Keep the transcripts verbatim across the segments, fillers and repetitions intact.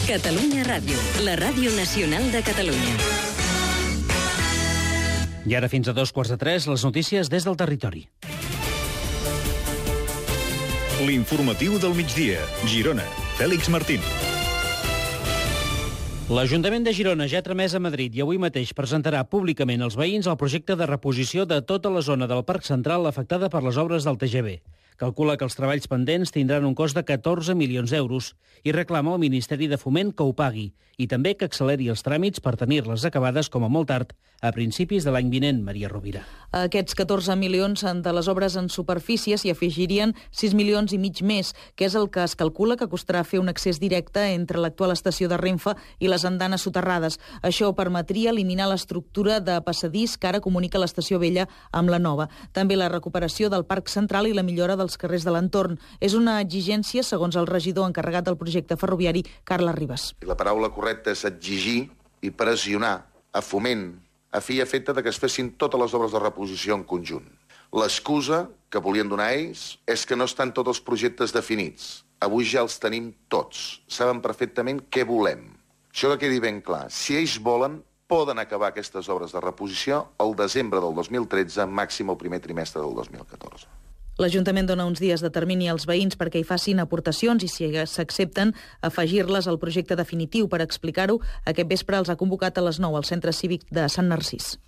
Catalunya Ràdio, la ràdio nacional de Catalunya. I ara fins a dos quarts de tres, les notícies des del territori. L'informatiu del migdia, Girona. Fèlix Martín. L'Ajuntament de Girona ja ha tramès a Madrid i avui mateix presentarà públicament als veïns el projecte de reposició de tota la zona del Parc Central afectada per les obres del T G V. Calcula que els treballs pendents tindran un cost de catorze milions d'euros i reclama al Ministeri de Foment que ho pagui i també que acceleri els tràmits per tenir-les acabades com a molt tard a principis de l'any vinent, Maria Rovira. A aquests catorze milions de les obres en superfície s'hi afegirien sis milions i mig més, que és el que es calcula que costarà fer un accés directe entre l'actual estació de Renfe i les andanes soterrades. Això permetria eliminar l'estructura de passadís que ara comunica l'estació vella amb la nova. També la recuperació del Parc Central i la millora dels carrers de l'entorn. És una exigència, segons el regidor encarregat del projecte ferroviari, Carles Ribas. La paraula correcta és exigir i pressionar a Foment a fi i efecte de que es fessin totes les obres de reposició en conjunt. L'excusa que volien donar ells és que no estan tots els projectes definits. Avui ja els tenim tots. Saben perfectament què volem. Això que quedi ben clar. Si ells volen, poden acabar aquestes obres de reposició al desembre del dos mil tretze, màxim el primer trimestre del dos mil catorze. L'Ajuntament dona uns dies de termini als veïns perquè hi facin aportacions i, si s'accepten, afegir-les al projecte definitiu. Per explicar-ho, aquest vespre els ha convocat a les nou al Centre Cívic de Sant Narcís.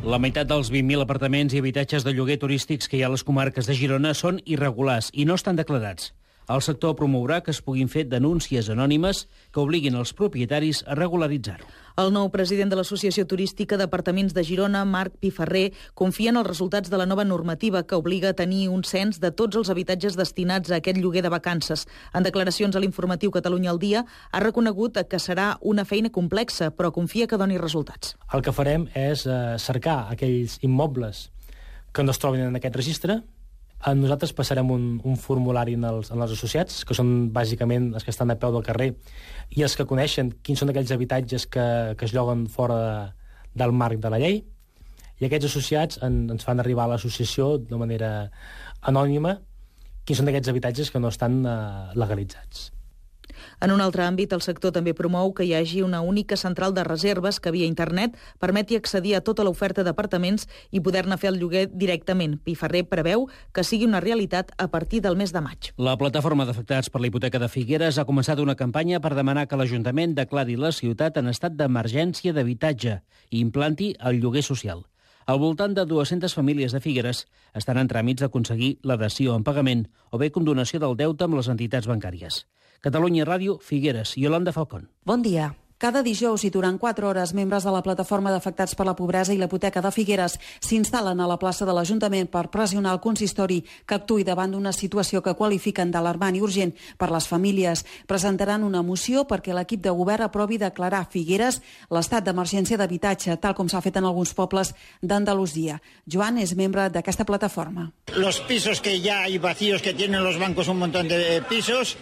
La meitat dels vint mil apartaments i habitatges de lloguer turístics que hi ha a les comarques de Girona són irregulars i no estan declarats. El sector promourà que es puguin fer denúncies anònimes que obliguin els propietaris a regularitzar-ho. El nou president de l'Associació Turística d'Apartaments de Girona, Marc Piferrer, confia en els resultats de la nova normativa que obliga a tenir un cens de tots els habitatges destinats a aquest lloguer de vacances. En declaracions a l'informatiu Catalunya al dia, ha reconegut que serà una feina complexa, però confia que doni resultats. El que farem és eh, cercar aquells immobles que no es trobin en aquest registre. Nosaltres passarem un, un formulari en els, en els associats, que són bàsicament els que estan a peu del carrer, i els que coneixen quins són aquells habitatges que, que es lloguen fora de, del marc de la llei, i aquests associats en, ens fan arribar a l'associació de manera anònima quins són aquests habitatges que no estan eh, legalitzats. En un altre àmbit, el sector també promou que hi hagi una única central de reserves que via internet permeti accedir a tota l'oferta d'apartaments i poder-ne fer el lloguer directament. Piferrer preveu que sigui una realitat a partir del mes de maig. La plataforma d'afectats per la hipoteca de Figueres ha començat una campanya per demanar que l'Ajuntament declari la ciutat en estat d'emergència d'habitatge i implanti el lloguer social. Al voltant de dues-centes famílies de Figueres estan en tràmits d'aconseguir la dació en pagament o bé condonació del deute amb les entitats bancàries. Catalunya Ràdio, Figueres, Yolanda Falcón. Bon dia. Cada dijous i durant quatre hores, membres de la plataforma d'afectats per la pobresa i la hipoteca de Figueres s'instal·len a la plaça de l'Ajuntament per pressionar el consistori que actuï davant d'una situació que qualifiquen d'alarmant i urgent per les famílies. Presentaran una moció perquè l'equip de govern aprovi declarar Figueres l'estat d'emergència d'habitatge, tal com s'ha fet en alguns pobles d'Andalusia. Joan és membre d'aquesta plataforma. Los pisos que ya hay vacíos, que tienen los bancos un montón de pisos,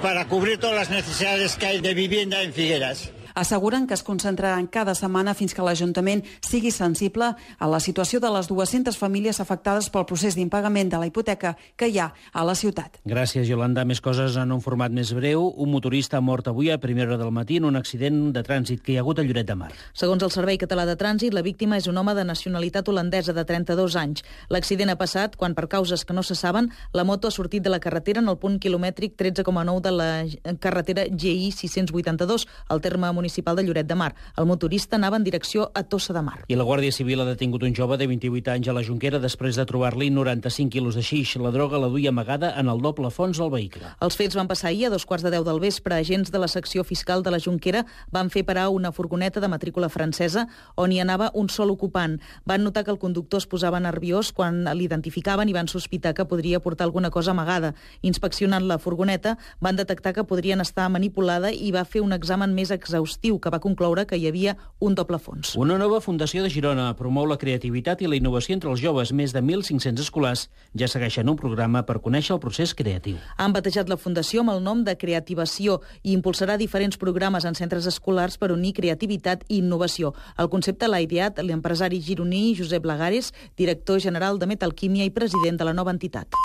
para cubrir todas las necesidades que hay de vivienda en Figueres. Asseguren que es concentraran cada setmana fins que l'Ajuntament sigui sensible a la situació de les dues-centes famílies afectades pel procés d'impagament de la hipoteca que hi ha a la ciutat. Gràcies, Yolanda. Més coses en un format més breu. Un motorista ha mort avui a primera hora del matí en un accident de trànsit que hi ha hagut a Lloret de Mar. Segons el Servei Català de Trànsit, la víctima és un home de nacionalitat holandesa de trenta-dos anys. L'accident ha passat quan, per causes que no se saben, la moto ha sortit de la carretera en el punt quilomètric tretze coma nou de la carretera G I sis-cents vuitanta-dos, al terme municipal municipal de Lloret de Mar. El motorista anava en direcció a Tossa de Mar. I la Guàrdia Civil ha detingut un jove de vint-i-vuit anys a la Jonquera després de trobar-li noranta-cinc quilos de xix. La droga la duia amagada en el doble fons del vehicle. Els fets van passar ahir a dos quarts de deu del vespre. Agents de la secció fiscal de la Jonquera van fer parar una furgoneta de matrícula francesa on hi anava un sol ocupant. Van notar que el conductor es posava nerviós quan l'identificaven i van sospitar que podria portar alguna cosa amagada. Inspeccionant la furgoneta, van detectar que podrien estar manipulada i va fer un examen més exhaustiu que va concloure que hi havia un doble fons. Una nova fundació de Girona promou la creativitat i la innovació entre els joves. Més de mil cinc-cents escolars ja segueixen un programa per conèixer el procés creatiu. Han batejat la fundació amb el nom de Creativació i impulsarà diferents programes en centres escolars per unir creativitat i innovació. El concepte l'ha ideat l'empresari gironí Josep Lagares, director general de Metalquímia i president de la nova entitat.